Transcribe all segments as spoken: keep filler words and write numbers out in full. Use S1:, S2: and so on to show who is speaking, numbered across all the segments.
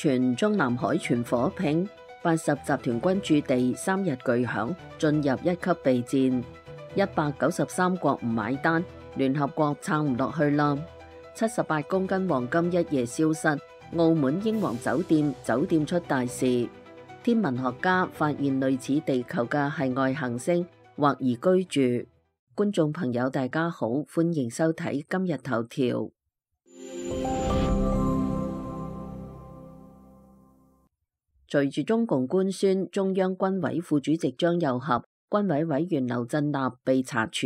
S1: 傳中南海全火拼，八十集團軍駐地三日巨響，進入一級備戰。一百九十三國唔買單，聯合國撐唔落去啦。七十八公斤黃金一夜消失，澳門英皇酒店酒店出大事。天文學家發現類似地球嘅系外行星，或宜居住。觀眾朋友大家好，歡迎收睇今日頭條。隨住中共官宣中央軍委副主席張又俠、軍委委員劉振立被查處，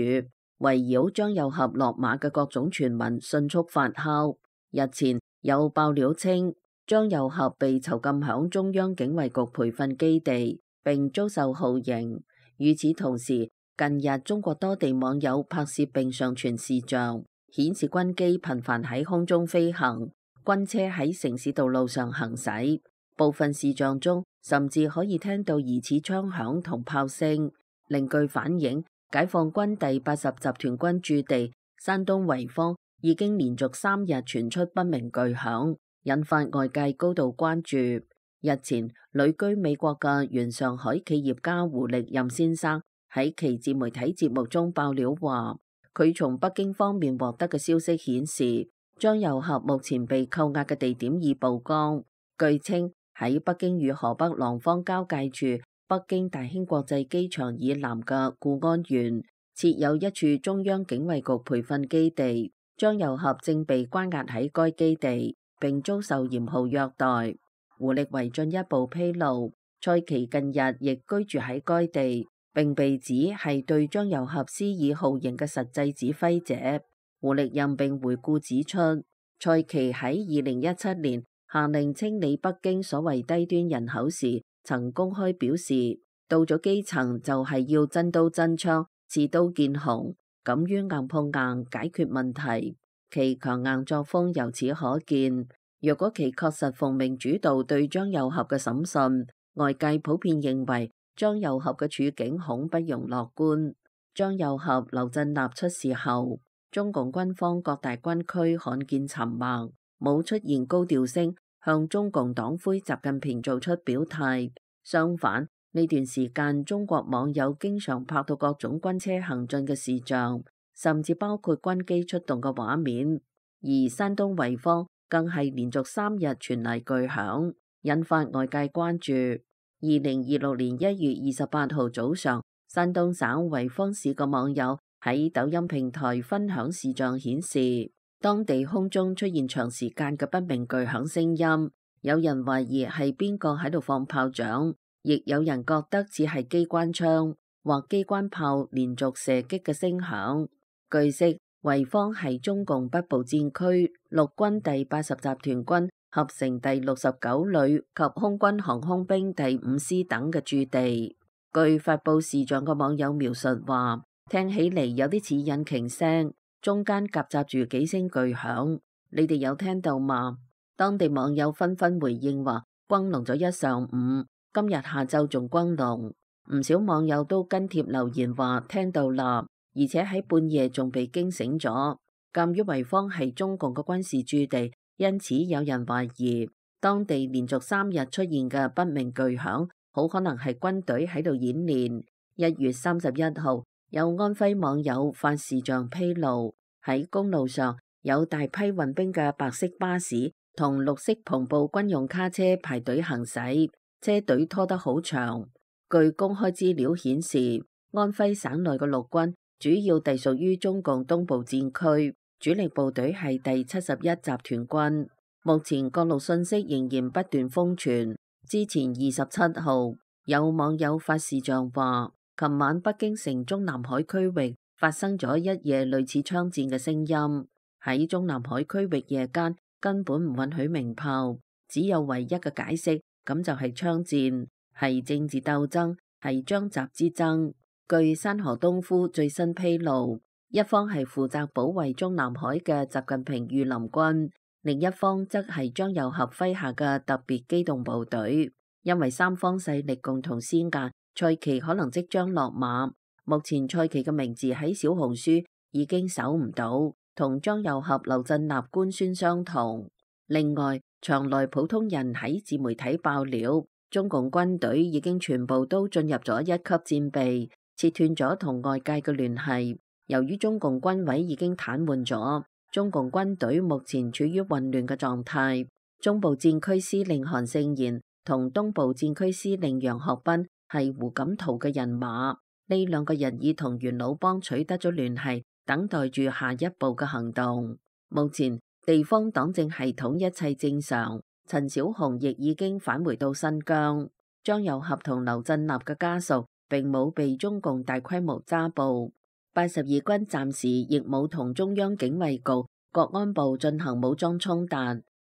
S1: 圍繞張又俠落馬嘅各種傳聞迅速發酵。日前有爆料稱，張又俠被囚禁響中央警衛局培訓基地，並遭受酷刑。與此同時，近日中國多地網友拍攝並上傳視像，顯示軍機頻繁喺空中飛行，軍車喺城市道路上行駛。部分視像中甚至可以聽到疑似槍響同炮聲。另據反映，解放軍第八十集團軍駐地山東濰坊已經連續三日傳出不明巨響，引發外界高度關注。日前，旅居美國嘅原上海企業家胡力任先生喺其自媒體節目中爆料話，佢從北京方面獲得嘅消息顯示，張又俠目前被扣押嘅地點已曝光。據稱，喺北京與河北廊坊交界處北京大興國際機場以南嘅固安縣，設有一處中央警衛局培訓基地。張又俠正被關押喺該基地，並遭受嚴酷虐待。胡力為進一步披露，蔡奇近日亦居住喺該地，並被指係對張又俠施以酷刑嘅實際指揮者。胡力任並回顧指出，蔡奇喺二零一七年下令清理北京所謂低端人口時，曾公開表示，到咗基層就係要真刀真槍、刺刀見紅，敢於硬碰硬解決問題。其強硬作風由此可見。若果其確實奉命主導對張又俠嘅審訊，外界普遍認為張又俠嘅處境恐不容樂觀。張又俠、劉振立出事後，中共軍方各大軍區罕見沉默，冇出現高調聲向中共黨魁習近平做出表態。相反，呢段時間中國網友經常拍到各種軍車行進嘅視像，甚至包括軍機出動嘅畫面。而山東濰坊更係連續三日傳嚟巨響，引發外界關注。二零二六年一月二十八號早上，山東省濰坊市嘅網友喺抖音平台分享視像顯示，當地空中出現長時間嘅不明巨響聲音，有人懷疑係邊個喺度放炮仗，亦有人覺得只係機關槍或機關炮連續射擊嘅聲響。據悉，濰坊係中共北部戰區陸軍第八十集團軍合成第六十九旅及空軍航空兵第五師等嘅駐地。據發布視像嘅網友描述話，聽起嚟有啲似引擎聲，中間夾雜住幾聲巨響，你哋有聽到嗎？當地網友紛紛回應話，轟隆咗一上午，今日下晝仲轟隆。唔少網友都跟帖留言話聽到啦，而且喺半夜仲被驚醒咗。鑑於濰坊係中共嘅軍事駐地，因此有人懷疑當地連續三日出現嘅不明巨響，好可能係軍隊喺度演練。一月三十一號，有安徽網友發視像披露，喺公路上有大批運兵嘅白色巴士同綠色篷布軍用卡車排隊行駛，車隊拖得好長。據公開資料顯示，安徽省內嘅陸軍主要隸屬於中共東部戰區，主力部隊係第七十一集團軍。目前各路信息仍然不斷瘋傳。之前二十七號，有網友發視像話，琴晚北京城中南海區域發生咗一夜類似槍戰嘅聲音。喺中南海區域夜間根本唔允許鳴炮，只有唯一嘅解釋，咁就係槍戰，係政治鬥爭，係張習之爭。據山河東夫最新披露，一方係負責保衛中南海嘅習近平御林軍，另一方則係張又俠麾下嘅特別機動部隊。因為三方勢力共同施壓，蔡奇可能即將落馬。目前蔡奇嘅名字喺小紅書已經搜唔到，同張又俠、劉振立官宣相同。另外，場內普通人喺自媒體爆料，中共軍隊已經全部都進入咗一級戰備，切斷咗同外界嘅聯繫。由於中共軍委已經癱瘓咗，中共軍隊目前處於混亂嘅狀態。中部戰區司令韓勝賢同東部戰區司令楊學斌係胡錦濤嘅人馬，呢兩個人已同元老幫取得咗聯繫，等待住下一步嘅行動。目前地方黨政系統一切正常，陳小紅亦已經返回到新疆。張又俠同劉振立嘅家屬並冇被中共大規模抓捕。八十二軍暫時亦冇同中央警衛局、國安部進行武裝衝突，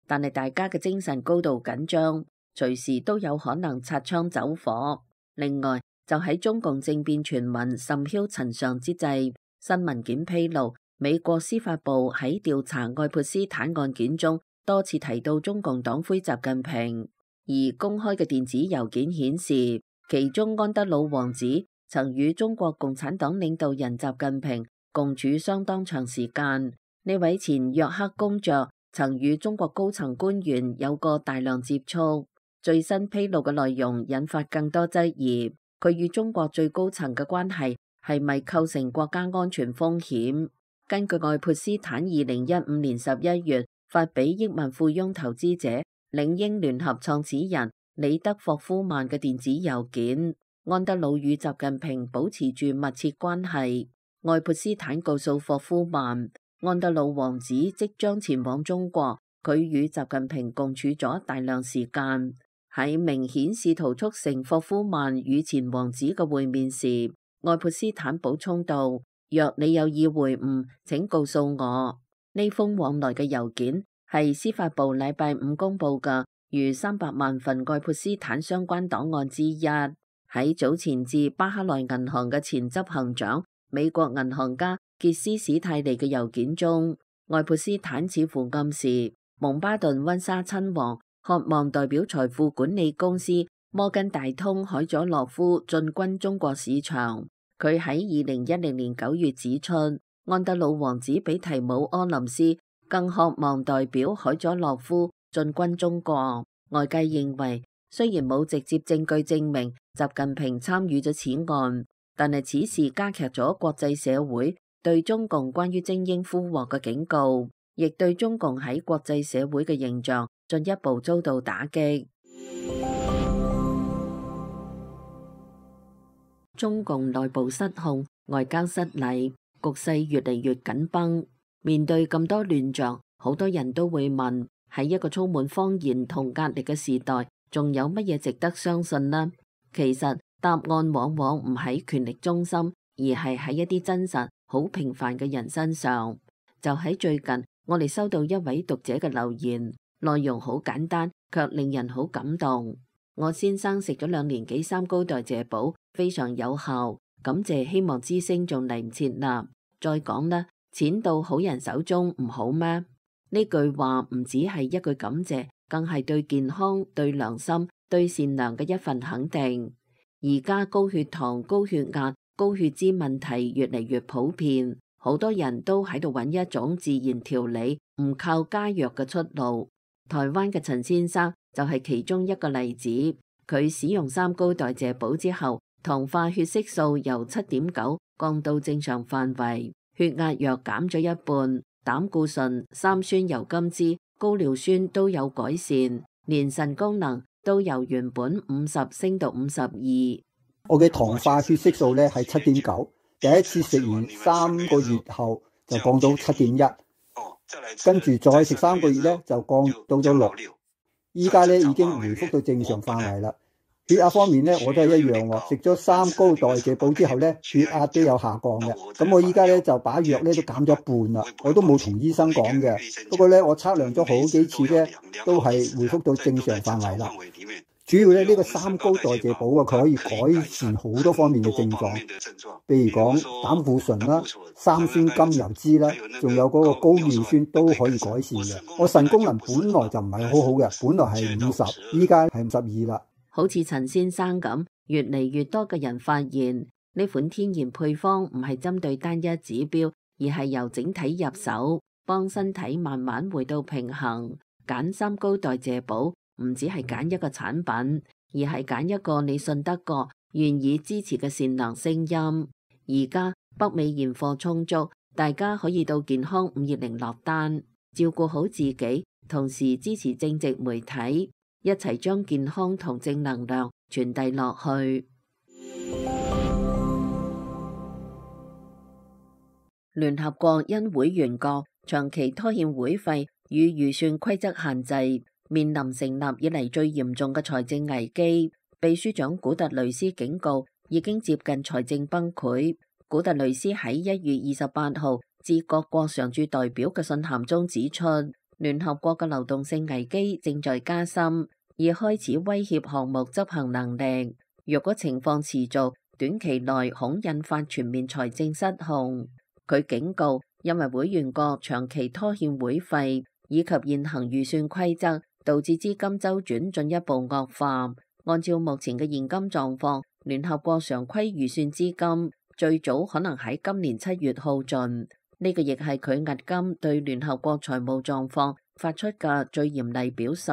S1: 但係大家嘅精神高度緊張，隨時都有可能擦槍走火。另外，就喺中共政變傳聞甚囂塵上之際，新文件披露，美國司法部喺調查愛潑斯坦案件中多次提到中共黨魁習近平，而公開嘅電子郵件顯示，其中安德魯王子曾與中國共產黨領導人習近平共處相當長時間。呢位前約克公爵曾與中國高層官員有過大量接觸。最新披露嘅內容引發更多質疑，佢與中國最高層嘅關係係咪構成國家安全風險？根據愛潑斯坦二零一五年十一月發俾億萬富翁投資者領英聯合創始人李德霍夫曼嘅電子郵件，安德魯與習近平保持住密切關係。愛潑斯坦告訴霍夫曼，安德魯王子即將前往中國，佢與習近平共處咗大量時間。喺明顯試圖促成霍夫曼與前王子嘅會面時，愛潑斯坦補充道：若你有意會晤，請告訴我。呢封往來嘅郵件係司法部禮拜五公布嘅逾三百萬份愛潑斯坦相關檔案之一。喺早前至巴克萊銀行嘅前執行長美國銀行家傑斯史泰利嘅郵件中，愛潑斯坦似乎暗示蒙巴頓溫莎親王渴望代表財富管理公司摩根大通海佐洛夫進軍中國市場。佢喺二零一零年九月指出，安德魯王子比提姆柯林斯更渴望代表海佐洛夫進軍中國。外界認為，雖然冇直接證據證明習近平參與咗此案，但係此事加劇咗國際社會對中共關於精英俘獲嘅警告，亦對中共喺國際社會嘅形象進一步遭到打擊。中共內部失控，外交失禮，局勢越嚟越緊繃。面對咁多亂象，好多人都會問：喺一個充滿謊言同壓力嘅時代，仲有乜嘢值得相信呢？其實答案往往唔喺權力中心，而係喺一啲真實、好平凡嘅人身上。就喺最近，我哋收到一位讀者嘅留言，內容好簡單，卻令人好感動。我先生食咗兩年幾三高代謝補，非常有效，感謝希望之聲仲嚟唔切啦。再講啦，錢到好人手中唔好咩？呢句話唔只係一句感謝，更係對健康、對良心、對善良嘅一份肯定。而家高血糖、高血壓、高血脂問題越嚟越普遍，好多人都喺度揾一種自然調理、唔靠加藥嘅出路。台灣嘅陳先生就係其中一個例子。佢使用三高代謝補之後，糖化血色素由七點九降到正常範圍，血壓藥減咗一半，膽固醇、三酸油甘脂、高尿酸都有改善，連腎功能都由原本五十升到五十二。
S2: 我嘅糖化血色素咧係七點九，第一次食完三個月後就降到七點一，跟住再食三個月咧就降到咗六，依家咧已經回復到正常範圍啦。血壓方面咧我都係一樣喎，食咗三高代謝補之後咧血壓都有下降嘅。咁我依家咧就把藥咧都減咗一半啦，我都冇同醫生講嘅。不過咧我測量咗好幾次咧都係回復到正常範圍啦。主要咧呢個三高代謝補啊，佢可以改善好多方面嘅症狀，譬如講膽固醇啦、三酸甘油脂啦，仲有嗰個高尿酸都可以改善嘅。我腎功能本來就唔係好好嘅，本來係五十，依家係五十二啦。
S1: 好似陳先生咁，越嚟越多嘅人發現呢款天然配方唔係針對單一指標，而係由整體入手，幫身體慢慢回到平衡。揀三高代謝寶唔只係揀一個產品，而係揀一個你信得過、願意支持嘅善良聲音。而家北美現貨充足，大家可以到健康五二零落單，照顧好自己，同時支持正直媒體，一齊將健康同正能量傳遞落去。聯合國因會員國長期拖欠會費與預算規則限制，面臨成立以嚟最嚴重嘅財政危機。秘書長古特雷斯警告，已經接近財政崩潰。古特雷斯喺一月二十八號致各國常駐代表嘅信函中指出，聯合國嘅流動性危機正在加深，已開始威脅項目執行能力。若果情況持續，短期內恐引發全面財政失控。佢警告，因為會員國長期拖欠會費以及現行預算規則，導致資金周轉進一步惡化。按照目前嘅現金狀況，聯合國常規預算資金最早可能喺今年七月耗盡。呢個亦係佢押金對聯合國財務狀況發出嘅最嚴厲表述。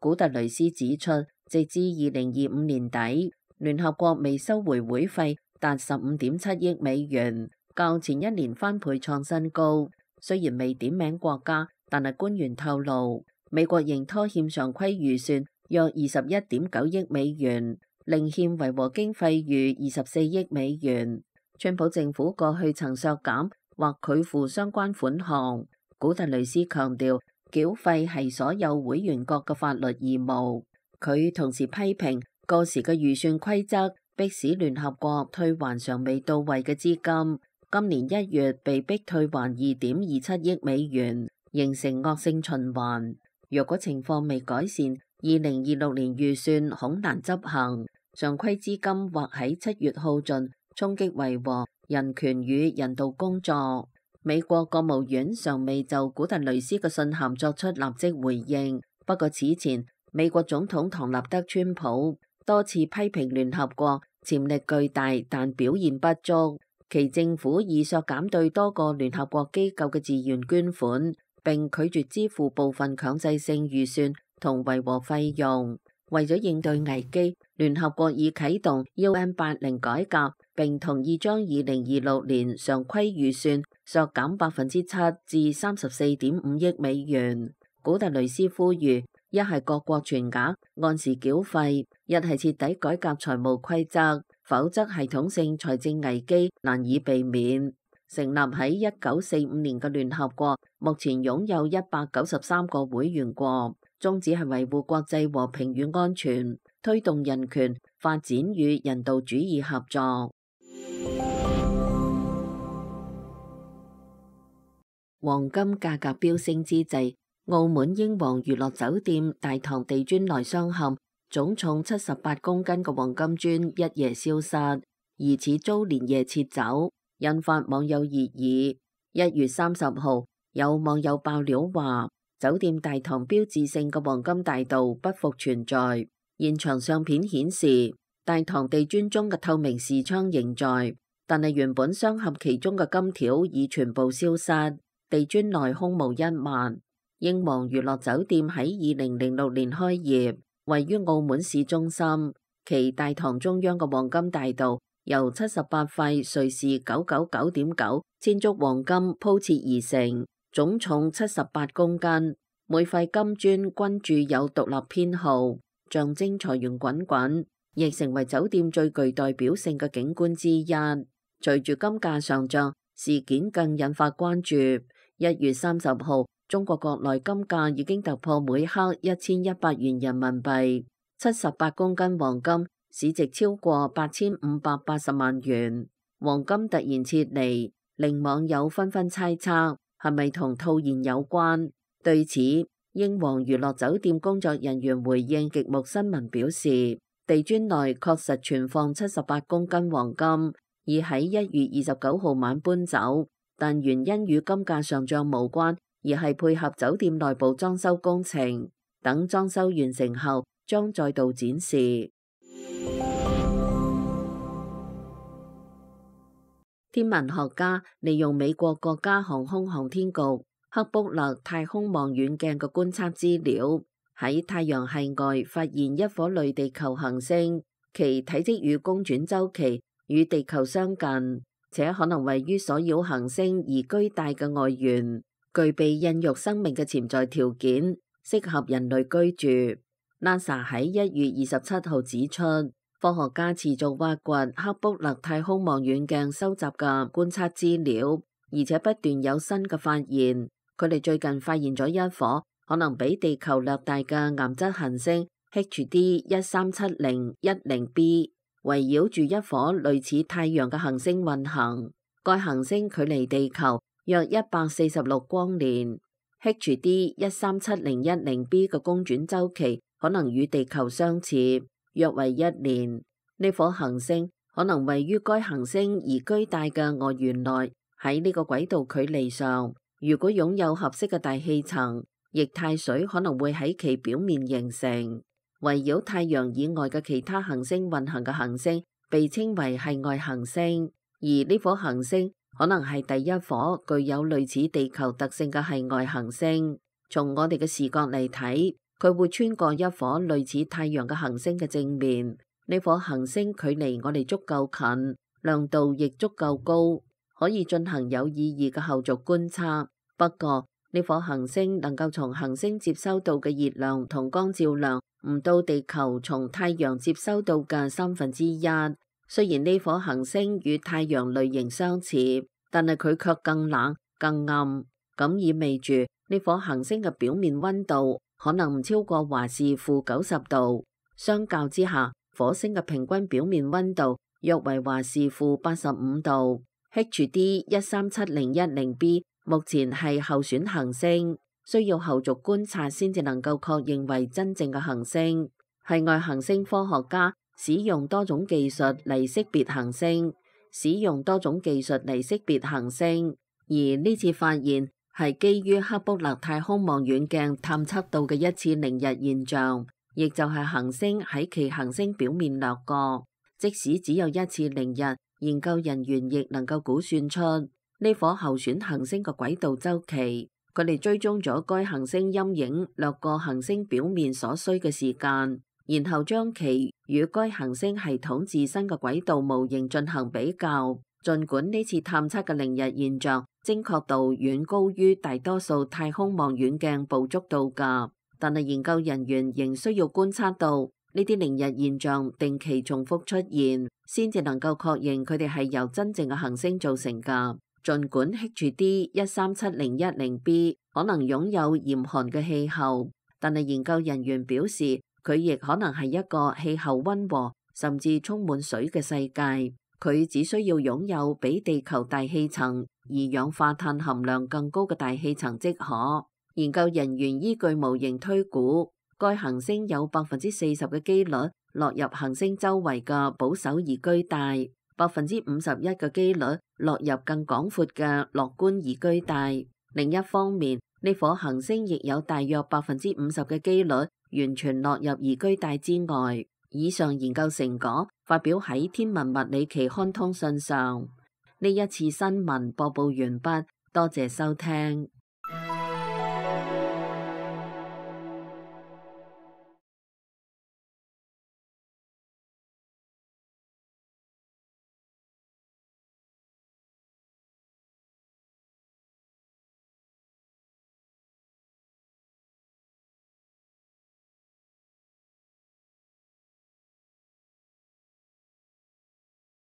S1: 古特雷斯指出，直至二零二五年底，聯合國未收回會費達十五點七億美元，較前一年翻倍創新高。雖然未點名國家，但係官員透露，美國仍拖欠常規預算約二十一點九億美元，另欠維和經費逾二十四億美元。川普政府過去曾削減或拒付相關款項。古特雷斯強調，繳費係所有會員國嘅法律義務。佢同時批評過時嘅預算規則，迫使聯合國退還尚未到位嘅資金。今年一月被逼退還二點二七億美元，形成惡性循環。若果情況未改善，二零二六年預算恐難執行。常規資金或喺七月耗盡，衝擊維和、人權與人道工作。美國國務院尚未就古特雷斯嘅信函作出立即回應。不過此前，美國總統唐納德川普多次批評聯合國潛力巨大，但表現不足。其政府已削減對多個聯合國機構嘅自願捐款，並拒絕支付部分強制性預算同維和費用。為咗應對危機，聯合國已啟動 U N 八零改革，並同意將二零二六年常規預算削減百分之七至三十四點五億美元。古特雷斯呼籲，一係各國全額按時繳費，一係徹底改革財務規則，否則系統性財政危機難以避免。成立喺一九四五年嘅聯合國，目前擁有一百九十三個會員國，宗旨係維護國際和平與安全，推動人權、發展與人道主義合作。黃金價格飆升之際，澳門英皇娛樂酒店大堂地磚內鑲嵌總重七十八公斤嘅黃金磚一夜消失，疑似遭連夜撤走，引發網友熱議。一月三十號，有網友爆料話，酒店大堂標誌性嘅黃金大道不復存在。現場相片顯示，大堂地磚中嘅透明視窗仍在，但係原本鑲嵌其中嘅金條已全部消失，地磚內空無一物。英皇娛樂酒店喺二零零六年開業，位於澳門市中心。其大堂中央嘅黃金大道由七十八塊瑞士九九九點九千足黃金鋪設而成，總重七十八公斤。每塊金磚均鑄有獨立編號，象徵財源滾滾，亦成為酒店最具代表性嘅景觀之一。隨住金價上漲，事件更引發關注。一月三十號，中國國內金價已經突破每克一千一百元人民幣，七十八公斤黃金市值超過八千五百八十萬元。黃金突然撤離，令網友紛紛猜測係咪同套現有關。對此，英皇娛樂酒店工作人員回應極目新聞表示，地磚內確實存放七十八公斤黃金，已喺一月二十九號晚搬走，但原因與金價上漲無關，而係配合酒店內部裝修工程，等裝修完成後將再度展示。天文學家利用美國國家航空航天局克卜勒太空望遠鏡嘅觀測資料，喺太陽系外發現一顆類地球行星，其體積與公轉週期與地球相近，且可能位於所繞行星宜居帶嘅外緣，具備孕育生命嘅潛在條件，適合人類居住。NASA 喺一月二十七號指出，科學家持續挖掘克卜勒太空望遠鏡收集嘅觀測資料，而且不斷有新嘅發現。佢哋最近發現咗一顆可能比地球略大嘅岩質行星 H D 一三七零一零 b， 圍繞住一顆類似太陽嘅行星運行。該行星距離地球約一百四十六光年。H D 一三七零一零 b 嘅公轉週期可能與地球相似，約為一年。呢顆行星可能位於該行星宜居帶嘅外緣內，喺呢個軌道距離上。如果擁有合適嘅大氣層，液態水可能會喺其表面形成。圍繞太陽以外嘅其他行星運行嘅行星被稱為系外行星，而呢顆行星可能係第一顆具有類似地球特性嘅系外行星。從我哋嘅視覺嚟睇，佢會穿過一顆類似太陽嘅行星嘅正面。呢顆行星距離我哋足夠近，亮度亦足夠高，可以進行有意義嘅後續觀測。不過呢顆行星能夠從行星接收到嘅熱量同光照量唔到地球從太陽接收到嘅三分之一。雖然呢顆行星與太陽類型相似，但係佢卻更冷更暗，咁意味住呢顆行星嘅表面溫度可能唔超過華氏負九十度。相較之下，火星嘅平均表面溫度約為華氏負八十五度。H D 一三七零一零 b 目前係候選行星，需要後續觀察先至能夠確認為真正嘅行星。系外行星科學家使用多種技術嚟識別行星，使用多種技術嚟識別行星，而呢次發現係基於克卜勒太空望遠鏡探測到嘅一次凌日現象，亦就係行星喺其行星表面掠過。即使只有一次凌日，研究人員亦能夠估算出呢顆候選行星嘅軌道週期。佢哋追蹤咗該行星陰影掠過行星表面所需嘅時間，然後將其與該行星系統自身嘅軌道模型進行比較。儘管呢次探測嘅凌日現象精確度遠高於大多數太空望遠鏡捕捉到㗎，但係研究人員仍需要觀察到呢啲凌日現象定期重複出現，先至能夠確認佢哋係由真正嘅行星造成㗎。儘管 H D 一三七零一零 b 可能擁有嚴寒嘅氣候，但係研究人員表示佢亦可能係一個氣候溫和甚至充滿水嘅世界。佢只需要擁有比地球大氣層二氧化碳含量更高嘅大氣層即可。研究人員依據模型推估，該行星有百分之四十嘅機率落入行星周圍嘅保守宜居帶，百分之五十一嘅機率落入更廣闊嘅樂觀宜居帶。另一方面，呢顆行星亦有大約百分之五十嘅機率完全落入宜居帶之外。以上研究成果發表喺《天文物理期刊通訊》上。呢一次新聞播報完畢，多謝收聽。